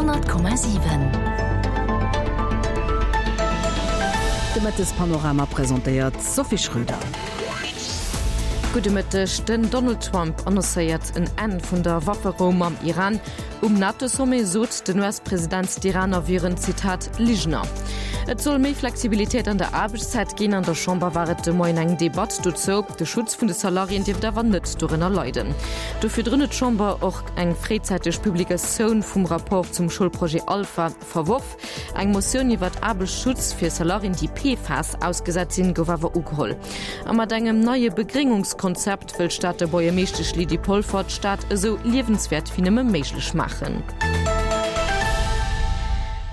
100,7. De Mëttespanorama presentéiert d'Sophie Schröder. Gudde Mëtteg. Den Donald Trump annoncéiert en Enn vun der Wafferou mam Iran. Um NATO-Sommet sot den US-President, d'Iraner wieren, Zitat, Ligener. Et soll méi Flexibilitéit an der Aarbechtszäit ginn. An der Chamber war et de Moien eng Debatt dozou. De Schutz vun de Salariéen dierft awer net dorënner leiden. Do virdrun huet d'Chamber och eng fréizäiteg Publikatioun vum Rapport zum Schoulprojet Alpha verworf. Eng Motioun iwwert Aarbechtsschutz fir Salariéen, déi PFAS ausgesat sinn, gouf awer ugeholl. A mat engem neie Begréngungskonzept wëll d'Stater Buergermeeschtesch Lydie Polfer d'Stad esou liewenswäert wéi nëmme méiglech maachen.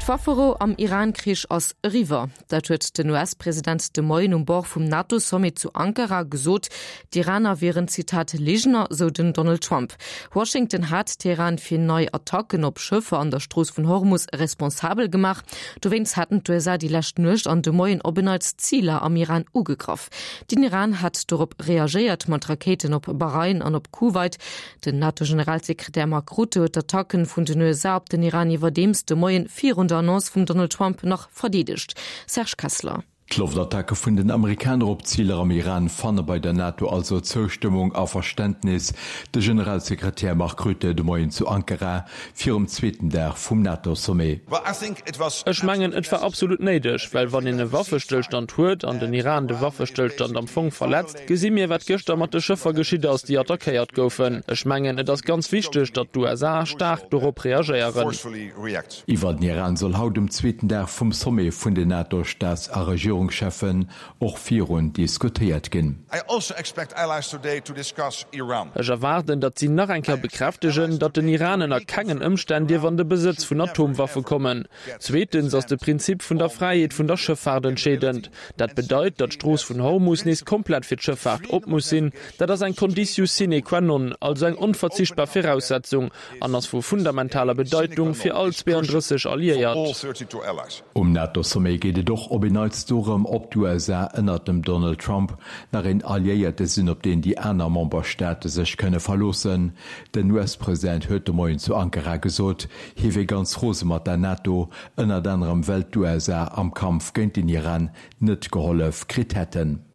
D'Wafferou am Iran-Krich ass eriwwer. Dat huet den US-President de Moien um Bord vum NATO-Sommet zu Ankara gesot. D'Iraner wieren, Zitat, Ligener, sou den Donald Trump. Washington hat Teheran fir nei Attacken op Schëffer an der Strooss vun Hormus responsabel gemaach. Dowéinst haten d'USA déi lescht Nuecht an de Moien op en Neits Ziler am Iran ugegraff. Den Iran hat dorop reagéiert mat Rakéiten op Bahrain an op Kuwait. Den NATO-Generalsekretär Mark Rutte huet d'Attacken vun den USA op den Iran iwwerdeems de Moien virun der Annonce vum Donald Trump nach verdeedegt. Serge Kessler. D'Loftattacke vun den Amerikaner op Ziler am Iran fanne bei der NATO also Zoustëmmung a Verständnis. De Generalsekretär Mark Rutte de Moien zu Ankara virum zweeten Dag vum NATO-Sommet. Ech mengen, et war absolut néideg, well wann een e Waffestëllstand huet an den Iran de Waffestëllstand am Fong verletzt, gesi mir, wat gëschter mat de Schëffer geschitt ass, déi attackéiert goufen. Ech mengen, et ass ganz wichteg, datt d'USA staark dorop reagéieren. Iwwer den Iran soll haut um zweeten Dag vum Sommet vun den NATO-Staats a Regierungscheffen och virun diskutéiert ginn. Ech erwaarden, datt si nach eng Kéier bekräftegen, datt den Iran ënner kengen Ëmstänn dierf an de Besëtz vun Atomwaffe kommen. Zweetens ass de Prinzip vun der Fräiheet vun der Schëffaart entscheedend. Dat bedeit, datt d'Strooss vun Hormus nees komplett fir d'Schëffaart op muss sinn. Dat ass eng Conditio sine qua non, also eng onverzichtbar Viraussetzung. an ass vu fundamentaler Bedeitung fir all 32 Alliéiert. Um NATO-Sommet geet et och op en Neits dorëm, ob d'USA ënnert dem Donald Trump nach een Alliéierte sinn, op deen déi aner Memberstaate sech kënne verloossen. Den US-President huet de Moien zu Ankara gesot, hie wier ganz rose mat der NATO, ënnert anerem well d'USA am Kampf géint den Iran net gehollef kritt hätten.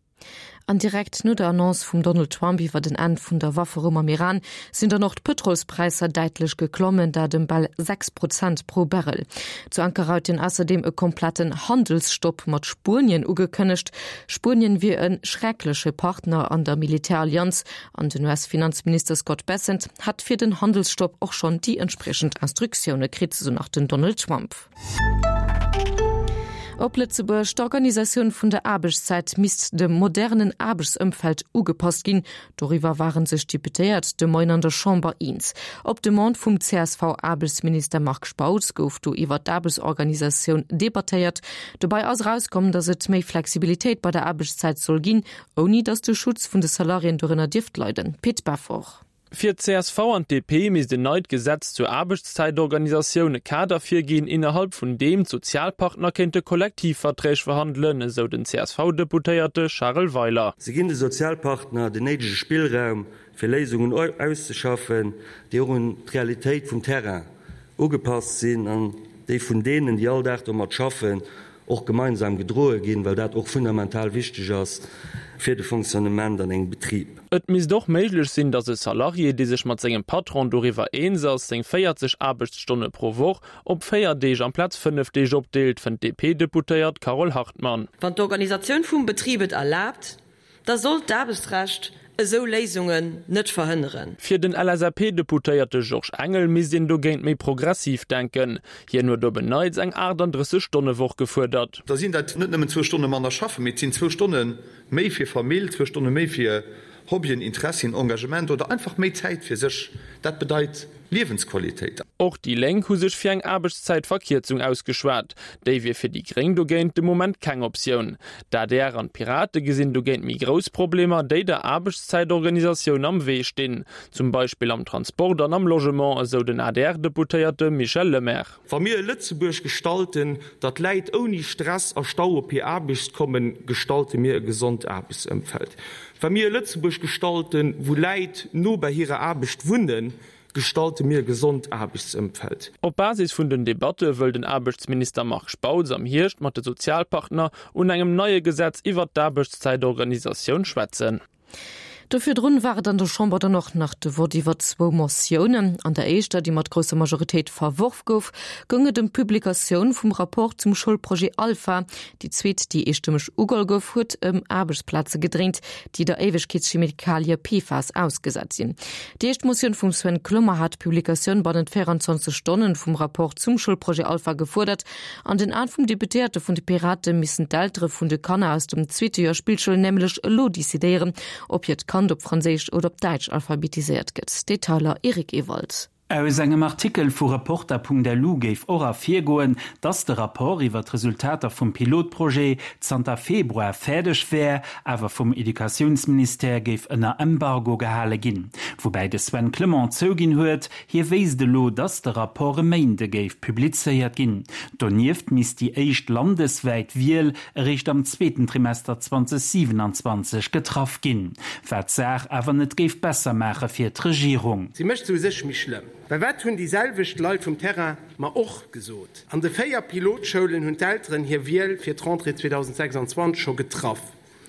An direkt no der Annonce vum Donald Trump iwwer en Enn vun der Wafferou mam Iran sinn dann och d'Pëtrolspräisser däitlech geklommen, dat ëm bal 6 Prozent pro Barrel. Zu Ankara huet hien ausserdeem e kompletten Handelsstopp mat Spuenien ugekënnegt. Spuenien wier e schreckleche Partner an der Militärallianz an den US-Finanzminister Scott Bessent hätt fir den Handelsstopp och schonn déi entspriechend Instruktioune kritt, sou nach den Donald Trump. Op Lëtzebuerg, D'Organisatioun vun der Aarbechtszäit misst dem modernen Aarbechtsëmfeld ugepasst ginn. Doriwwer ware sech d'Deputéiert de Moien an der Chamber eens. Op Demande vum CSV-Aarbechtsminister Marc Spautz gouf do iwwer d'Aarbechtsorganisatioun debattéiert. Dobei ass erauskomm, datt et méi Flexibilitéit bei der Aarbechtszäit soll ginn, ouni datt de Schutz vun de Salariéen dorënner dierft leiden. Pit Beffort. Fir d'CSV an d'DP misst en neit Gesetz zur Aarbechtszäitorganisatioun e Kader virginn, innerhalb vun deem d'Sozialpartner kéinte Kollektivverträg verhandelen, esou den CSV-Deputéierte Charel Weiler. Se ginn de Sozialpartner den néidege Spillraum, fir Léisungen auszeschaffen, déi och un d'Realitéit vum Terrain ugepasst sinn an déi vun deenen, déi all Dag domat schaffen, och gemeinsam gedroe ginn, well dat och fundamental wichteg ass fir de Fonctionnement an engem Betrib. Et misst och méiglech sinn, datt e Salarié, dee sech mat sengem Patron doriwwer eens ass, seng 40 Aarbechtsstonne pro Woch op 4 Deeg amplaz 5 Deeg opdeelt, fënnt d'DP-Deputéiert Carole Hartmann. Wann d'Organisatioun vum Betrib et erlaabt, da sollt d'Aarbechtsrecht esou Léisungen net verhënneren. Fir den LSAP-Deputéierte Georges Engel misst een dogéint méi progressiv denken. Hien huet op en Neits eng 38 Stonne-Woch gefuerdert. Da sinn dat net nëmmen zwou Stonne manner schaffen, mee et sinn zwou Stonne méi fir Famill, zwou Stonne méi fir Hobbyen, Interessien, Engagement oder einfach méi Zäit fir sech. Dat bedeit Liewensqualitéit. Och déi Lénk hu sech fir eng Aarbechtszäitverkierzung ausgeschwat. Déi wier fir déi Gréng dogéint de Moment keng Optioun. D'adr an d'Pirate gesinn dogéint méi grouss Problemer, déi der Aarbechtszäitorganisatioun am Wee stinn. Zum Beispill am Transport an am Logement, esou den ADR-Deputéierte Michel Lemaire. Wa mir e Lëtzebuerg gestalten, datt Läit ouni Stress a Stau op hir Aarbecht kommen, gestalte mir e gesond Aarbechtsëmfeld. Wa mir e Lëtzebuerg gestalten, wou Läit no bei hirer Aarbecht wunnen, Gestalte mir e gesond Aarbechtsëmfeld. Op Basis vun den Debatte wëll den Aarbechtsminister Marc Spautz am Hierscht mat de Sozialpartner un engem neie Gesetz iwwert d'Aarbechtszäitorganisatioun schwätzen. Do virdrun war et an der Chamber dann och nach de Vott iwwer zwou Motiounen. An der éischter, déi mat grousser Majoritéit verworf gouf, goung et ëm d'Publikatioun vum Rapport zum Schoulprojet Alpha. Déi zweet, déi eestëmmeg ugeholl gouf, huet ëm Aarbechtsplaze gedréint, déi der Éiwegkeetschemikalie PFAS ausgesat sinn. Déi éischt Motioun vum Sven Clement hat d'Publikatioun bannent 24 Stonnen vum Rapport zum Schoulprojet Alpha gefuerdert. An den Aen vum Deputéierte vun de Pirate missen d'Eltere vun de Kanner aus dem zweete Joer Spillschoul nämlech elo decidéieren, ob hiert Kand op Franséisch oder op Däitsch alphabetiséiert gëtt. Detailer Eric Ewald. Aus engem Artikel vu Reporter.lu géif och ervirgoen, dass de Rapport iwwer d'Resultater vum Pilotprojet zanter Februar fäerdeg wär, awer vum Educatiounsministère géif ënner Embargo gehale ginn. Woubäi de Sven Clement zouginn huet, Hie wéisst elo, datt de Rapport e Méinde géif publizéiert ginn. Donieft misst déi éischt landeswäit Wiel eréischt am zweeten Trimester 2027 getraff ginn, wat d'Saach awer net géif besser maache fir d'Regierung. Si mécht se u sech méi schlëmm. Well wat hunn déi selwecht Leit vum Terrain mer och gesot? An de 4 Pilotschoulen hunn d'Elteren hir Wiel fir d'Rentrée 2026 scho getraff.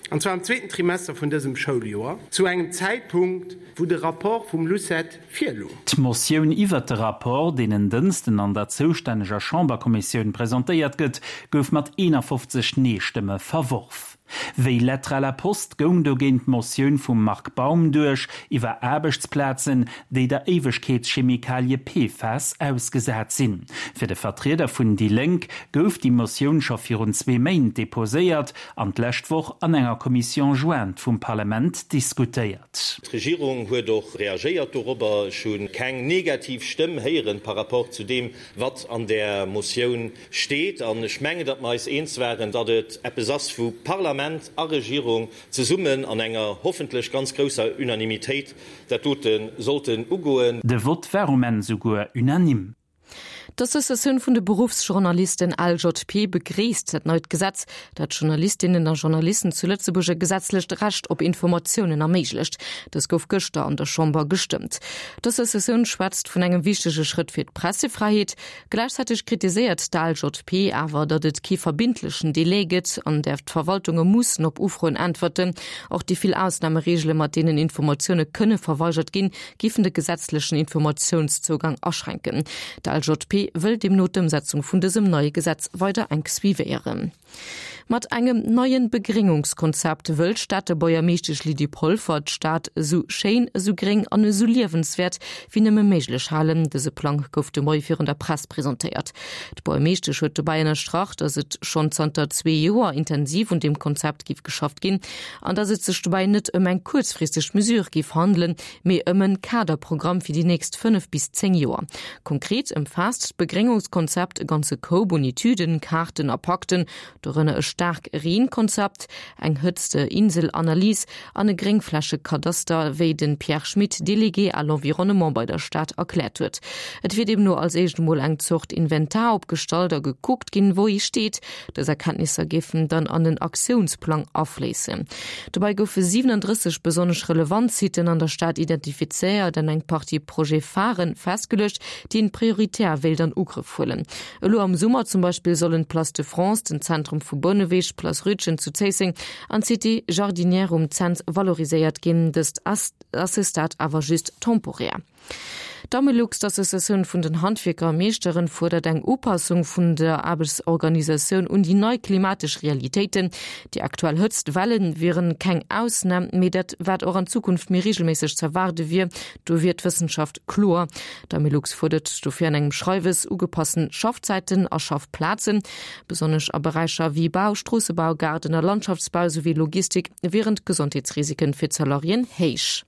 An zwar am zweeten Trimester vun dësem Schouljoer, zu engem Zäitpunkt, wou de Rapport vum LUCET virlung. D'Motioun iwwert de Rapport, deen en Dënsten an der zoustänneger Chamberkommissioun presentéiert gëtt, gouf mat 51 Nee-Stëmme verworf. Wéi Lettre à la poste goung dogéint d'Motioun vum Marc Baum duerch iwwer Aarbechtsplazen, déi der Éiwegkeetschemikalie PFAS ausgesat sinn. Fir de Vertrieder vun déi Lénk gouf déi Motioun scho virun zwee Méint deposéiert an d'lescht Woch an enger Commission jointe vum Parlament diskutéiert. D'Regierung huet och reagéiert dorobber. Ech hu keng negativ Stëmm héieren par rapport zu deem, wat an där Motioun steet. An ech mengen, datt mer eis eens waren, datt et eppes ass, wou Parlament a Regierung zesummen an enger hoffentlech ganz grousser Unanimitéit dat dote sollten ugoen. De Vott war um Enn souguer unanime. D'Associatioun vun de Beruffsjournalisten LJP begréisst dat neit Gesetz, dat Journalistinnen a Journalisten zu Lëtzebuerg e gesetzlecht Recht op Informatiounen erméiglecht. Dës gouf gëschter an der Chamber gestëmmt. D'Associatioun schwätzt vun engem wichtege Schrëtt fir d'Pressefräiheet. Gläichzäiteg kritiséiert d'ALJP awer, datt et kee verbindlechen Delai gëtt, an där d'Verwaltunge mussen op Ufroen äntwerten. Och déi vill Ausnamereegele mat deenen Informatioune kënne verweigert ginn, géifen de gesetzlechen Informatiounszougang aschränken. D'LJP wëll deemno d'Ëmsetzung vun dësem neie Gesetz weider enk suivéieren. Mat engem neien Begréngungskonzept wëll d'Stater Buergermeeschtesch Lydie Polfer d'Stad esou schéin, esou gréng an esou liewenswäert wéi nëmme méiglech halen. Dëse Plang gouf de Moie virun der Press presentéiert. D'Buergermeeschtesch huet dobäi ënnerstrach, datt et schonn zanter zwee Joer intensiv un deem Konzept géif geschafft ginn an datt et sech dobäi net ëm eng kuerzfristeg Mesure géif handelen, mee ëm en Kaderprogramm fir déi nächst 5 bis 10 Joer. Konkret ëmfaasst d'Begréngungskonzept e ganze Koup un Etüden, Kaarten a Pakten, dorënner e Staark-Reen-Konzept, eng Hëtzte-Insel-Analys an e Gréngflächekadaster, wéi de Pierre Schmit, Délégué à l'environnement bei der Stad, erkläert huet. Et wier deemno als éischt emol eng Zort Inventar opgestallt a gekuckt ginn, wou ee steet. Dës Erkenntnisser géifen dann an en Aktiounsplang afléissen. Dobäi goufe 37 besonnesch relevant Siten an der Stad identifizéiert an eng Partie Projet-pharen festgeluecht, déi een prioritär wéilt an Ugrëff huelen. Elo am Summer zum Beispill sollen d'Place de France, den Zentrum vu Bouneweg, d'Place Rütgen zu Zéisseng an d'Cité jardinière um Cents valoriséiert ginn. Dëst ass à ce stade awer just temporär. D'Amelux, d'Associatioun vun den Handwierker a Meeschteren, fuerdert eng Upassung vun der Aarbechtsorganisatioun un déi nei klimatesch Realitéiten. Déi aktuell Hëtztwelle wieren keng Ausnam, mee dat wat och an Zukunft méi reegelméisseg z'erwaarde wier, do wier d'Wëssenschaft kloer. D'Amelux fuerdert dofir an engem Schreiwes ugepassen Schaffzäiten a Schaffplazen. Besonnesch a Beräicher wéi Bau, Stroossebau, Gaarden a Landschaftsbau souwéi Logistik wieren d'Gesondheetsrisiken fir d'Salariéen héich.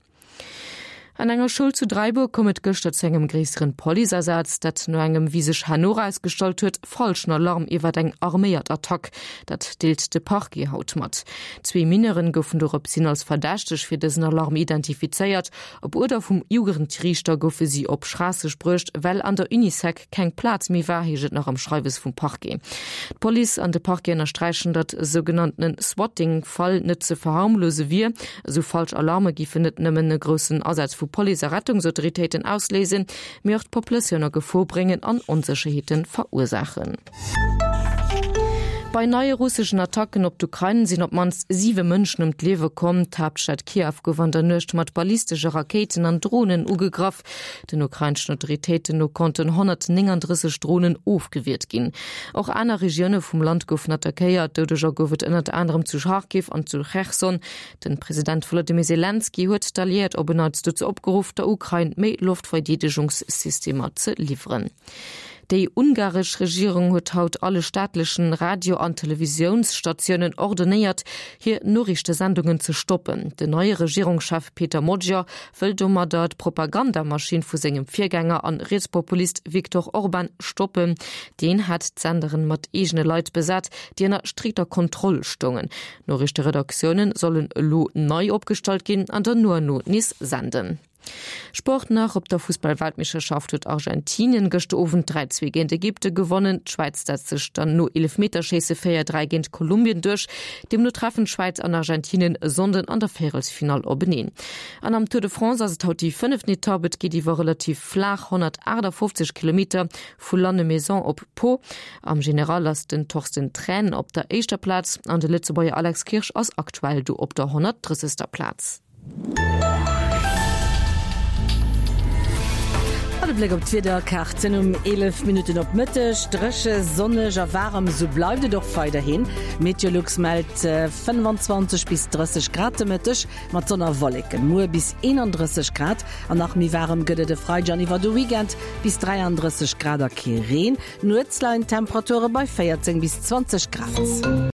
An enger Schoul zu Dräibuer koum et gëschter zu engem gréisseren Policeasaz, dat no engem, wéi sech herno erausgestallt huet, falschen Alarm iwwert eng arméiert Attack. Dat deelt de Parquet haut mat. Zwee Mineuren goufen doropshin als verdächteg fir dësen Alarm identifizéiert. Op Uerder vum Jugendriichter goufe si op Schraasseg bruecht, well an der Unisec keng Plaz méi war, heescht et nach am Schreiwes vum Parquet. D'Police an de Parquet ënnersträichen, datt e sougenanntene Swatting-Fall net ze verharmlose wier. Esou falsch Alarme géifen net nëmmen e groussen Asaz vu. vu Police a Rettungsautoritéiten ausléisen, mee och d'Populatioun a Gefor bréngen an Onsécherheete verursaachen. Bei neie russeschen Attacken op d'Ukrain sinn op d'mannst siwe Mënschen ëm d'Liewe komm. D'Haaptstad Kiew gouf an der Nuecht mat ballistesche Rakéiten an Dronen ugegraff. Den ukraineschen Autoritéiten no konnten 139 Dronen ofgewiert ginn. Och aner Regioune vum Land goufen attackéiert. Doudeger gouf et ënnert anerem zu Charkiw an zu Cherson. Den President Wolodymyr Selenskyj huet d'Alliéiert op en Neits dozou opgeruff, der Ukrain méi Loftverdeedegungssystemer ze liwweren. Déi ungaresch Regierung huet haut alle staatlechen Radio an Televisiounsstatiounen ordonéiert, hir Noriichtesendungen ze stoppen. Den neie Regierungschef Peter Magyar wëll domadder d'Propagandamaschinn vu sengem Virgänger an Rietspopulist Viktor Orban stoppen. Deen hat d'Senderen mat eegene Leit besat, déi ënner strikter Kontroll stoungen. D'Noriichteredaktioune sollen elo nei opgestallt ginn an dann no an no nees senden. Sport nach, Op der Fussball-Weltmeeschterschaft huet Argentinien gëschter Owend 3, 2 géint Ägypte gewonnen. D'Schwäiz setzt sech dann no Eelefmeterschéisse 4, 3 géint Kolumbien duerch. Deemno treffen d'Schwäiz an Argentinien e Sonnden an der Véierelsfinall openeen. An am Tour de France ass et haut déi fënneften Etapp. Et geet iwwer relativ flaach 158 Kilometer vu Lannemezan op Pau. Am General ass den Torsten Thrän op der éischter Plaz an de Lëtzebuerger Alex Kirsch ass aktuell do op der 130. Plaz. An e Bléck op d'Wiederkaarten um 11 Minutten op Mëtteg, Dréche, sonneg a waarem, esou bleift et och weiderhin. Meteolux mellt 25 bis 30 Grad de Mëtteg mat Sonn a Wolleken. Muer bis 31 Grad an nach méi waarem gëtt et e Freideg an iwwer de Weekend bis 33 Grad a kee Reen. Nuets leien d'Temperature bei 14 bis 20 Grad.